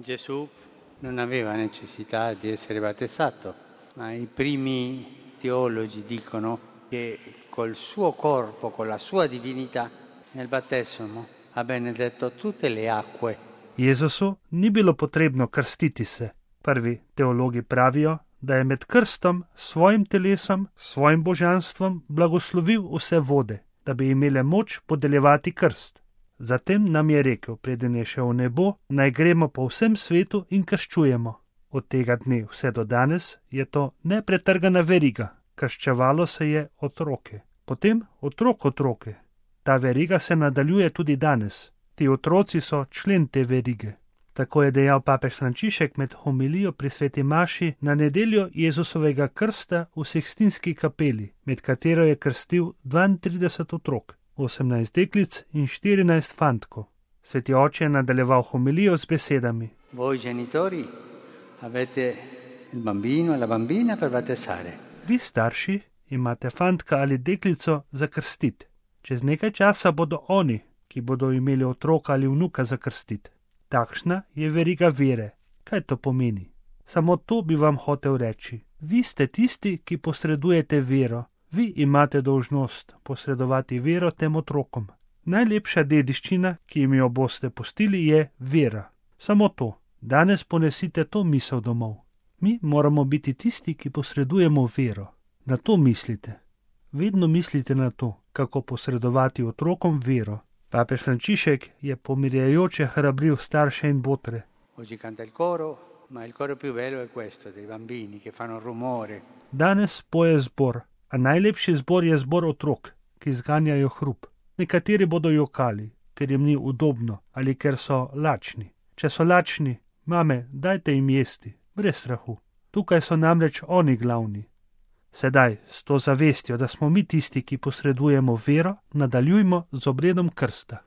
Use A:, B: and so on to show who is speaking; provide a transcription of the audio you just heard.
A: Gesù non aveva necessità di essere battezzato, ma i primi teologi dicono che col suo corpo, con la sua divinità, nel battesimo ha benedetto tutte le acque.
B: Jezusu ni bilo potrebno krstiti se. Prvi teologi pravijo, da je med krstom svojim telesom, svojim božanstvom blagoslovil vse vode, da bi imele moč podeljevati krst. Zatem nam je rekel, preden je šel v nebo, naj gremo po vsem svetu in krščujemo. Od tega dne vse do danes je to nepretrgana veriga. Krščevalo se je otroke. Potem otroke. Ta veriga se nadaljuje tudi danes. Ti otroci so člen te verige. Tako je dejal papež Frančišek med homilijo pri sveti maši na nedeljo Jezusovega krsta v Sikstinski kapeli, med katero je krstil 32 otrok, 18 deklic in 14 fantkov. Sveti oče je nadaljeval homilijo z besedami:
A: Voi genitori avete il bambino e la bambina per battezzare.
B: Vi starši imate fantka ali deklico za krstiti. Čez nekaj časa bodo oni, ki bodo imeli otroka ali vnuka za krstiti. Takšna je veriga vere. Kaj to pomeni? Samo to bi vam hotel reči. Vi ste tisti, ki posredujete vero. Vi imate dolžnost posredovati vero tem otrokom. Najlepša dediščina, ki jim jo boste pustili, je vera. Samo to. Danes ponesite to misel domov. Mi moramo biti tisti, ki posredujemo vero. Na to mislite. Vedno mislite na to, kako posredovati otrokom vero. Papež Frančišek je pomirjajoče hrabril starše in botre.
A: Oggi canta il coro, ma il coro più bello è questo, dei bambini che fanno rumore.
B: Danes poje zbor, a najlepši zbor je zbor otrok, ki zganjajo hrup. Nekateri bodo jokali, ker jim ni udobno ali ker so lačni. Če so lačni, mame, dajte jim jesti, brez strahu. Tukaj so namreč oni glavni. Sedaj, s to zavestjo, da smo mi tisti, ki posredujemo vero, nadaljujmo z obredom krsta.